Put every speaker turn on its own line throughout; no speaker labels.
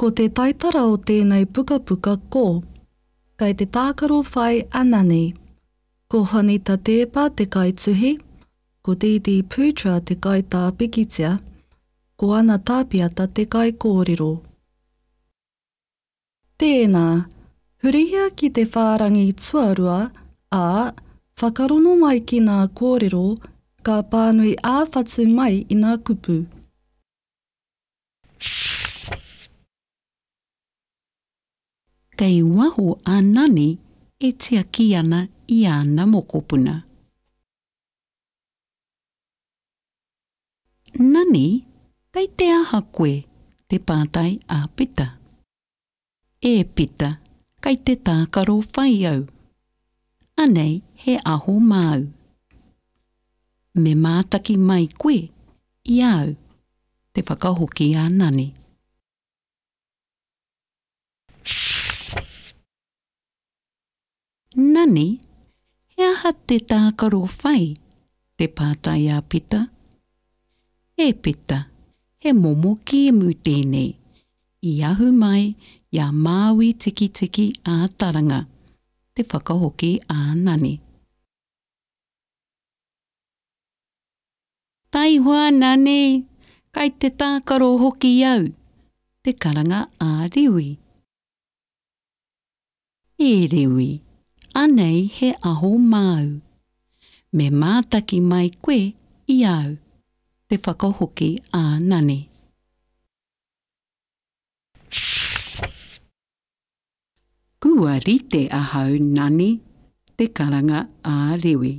Ko te taitara o tēnei pukapuka ko, Kei te tākaro whai a Nani. Ko Juanita Teepa te kaituhi, ko Dee Putra te kaitā pikitia, ko Ana Tapiata te kaikōrero. Tēnā, hurihia ki te whārangi tuarua, ā, whakarongo mai ki ngā kōrero ka pānui ā-whatu mai i ngā kupu.
Kei waho a Nani e tiaki ana i āna mokopuna. Nani, kei te aha koe? te pātai a Pita. E Pita, kei te tākaro whai au. Anei he aho māu. Me mātaki mai koe i a au, te whakahoki a Nani. Nani, he aha te tākaro whai? te pātai a Pita. E Pita, he momo kēmu tēnei, i ahu mai i a Māui Tikitiki a Taranga, te whakahoki a Nani. Taihoa Nani, kai te tākaro hoki au, te karanga a Rewi. E Rewi, anei he aho māu. Me mātaki mai koe i au, te whakahoki a Nani. Kua rite ahau, Nani, te karanga a Rewi.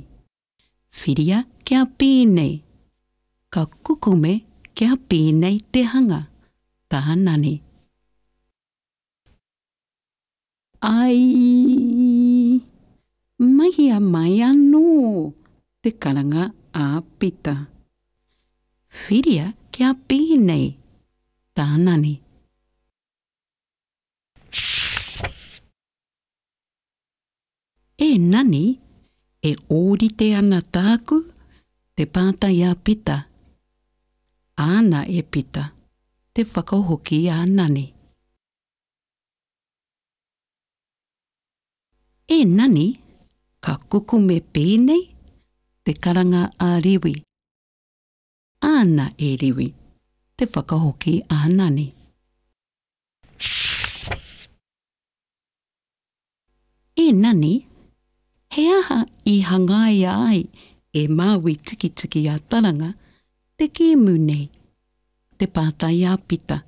Whiria kia pēnei. Ka kukume kia pēnei te hanga, tā Nani. Aii! Mahia mai anō! te karanga a Pita. Whiria kia pēnei, tā Nani. E Nani, e ōrite ana tāku? te pātai a Pita. Āna e Pita, te whakahoki a Nani. E Nani, ka kukume pēnei? te karanga a Rewi. Āna e Rewi, te whakahoki a Nani. E Nani, he aha i hangaia ai e Māui Tikitiki a Taranga te kēmu nei? te pātai a Pita.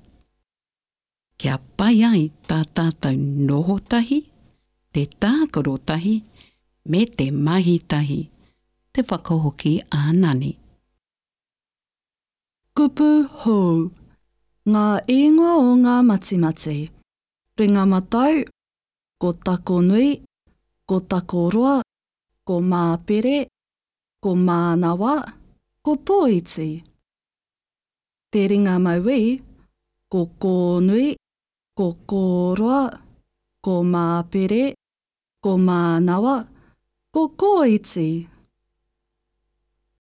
Kia pai ai tā tātou noho tahi, te tākaro tahi, me te mahi tahi, te whakahoki a Nani.
Kupu hou. Ngā ingoa o ngā matimati. Ringa matau, ko Takonui, ko Takoroa, ko Māpere, ko Mānawa, ko Tōiti. Te ringa mauī, ko Kōnui, ko Kōroa, ko Māpere, ko Mānawa, ko Kōiti.